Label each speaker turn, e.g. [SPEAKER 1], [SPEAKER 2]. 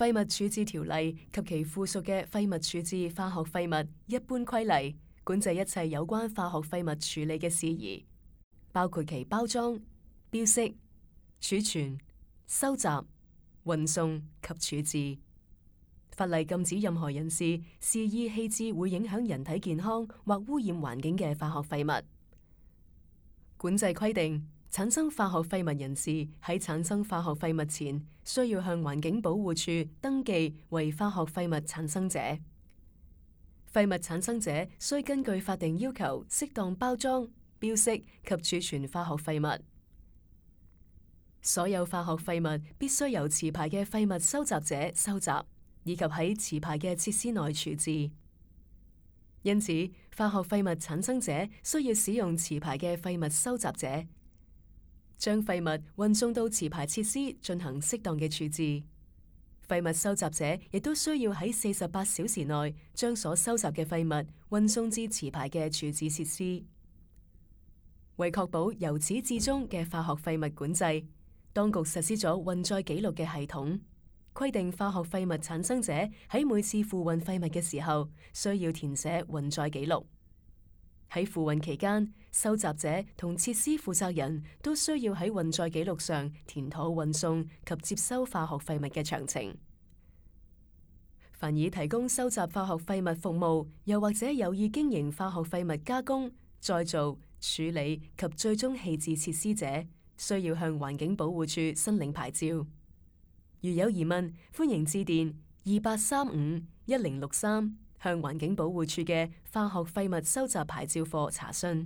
[SPEAKER 1] 廢物處置條例及其附屬嘅廢物處置化學廢物一般規例，管制一切有關化學廢物處理嘅事宜，包括其包裝、標識、儲存、收集、運送及處置。法例禁止任何人士肆意棄置會影響人體健康或污染環境嘅化學廢物。管制規定，產生化學廢物人士喺產生化學廢物前，需要向環境保護署登記為化學廢物產生者。廢物產生者需根據法定要求適當包裝、標識及儲存化學廢物。所有化學廢物必須由持牌嘅廢物收集者收集，以及喺持牌嘅設施內處置。因此，化學廢物產生者需要使用持牌嘅廢物收集者，將廢物運送到持牌設施進行適當嘅處置。廢物收集者亦都需要喺48小時內將所收集嘅廢物運送至持牌嘅處置設施。為確保由始至終嘅化學廢物管制，當局實施咗運載記錄嘅系統，規定化學廢物產生者喺每次付運廢物嘅時候，需要填寫運載記錄。喺付運期間，收集者同設施負責人都需要喺運載記錄上填妥運送及接收化學廢物嘅詳情。凡以提供收集化學廢物服務，又或者有意經營化學廢物加工、再造、處理及最終棄置設施者，需要向環境保護署申領牌照。如有疑問，歡迎致電28351063向環境保護署嘅化學廢物收集牌照課查詢。